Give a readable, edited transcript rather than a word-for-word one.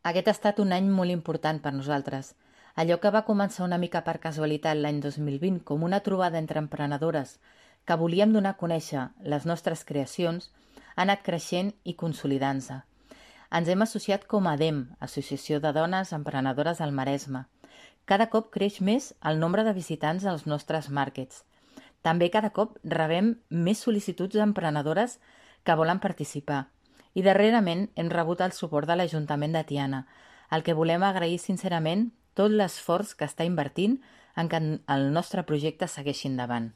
Aquest ha estat un any molt important per nosaltres. Allò que va començar una mica per casualitat l'any 2020 com una trobada entre emprenedores que volíem donar a conèixer les nostres creacions ha anat creixent i consolidant-se. Ens hem associat com a ADEM, Associació de Dones Emprenedores del Maresme. Cada cop creix més el nombre de visitants als nostres màrquets. També cada cop rebem més sol·licituds d'emprenedores que volen participar. I darrerament hem rebut el suport de l'Ajuntament de Tiana, al que volem agrair sincerament tot l'esforç que està invertint en que el nostre projecte segueixi endavant.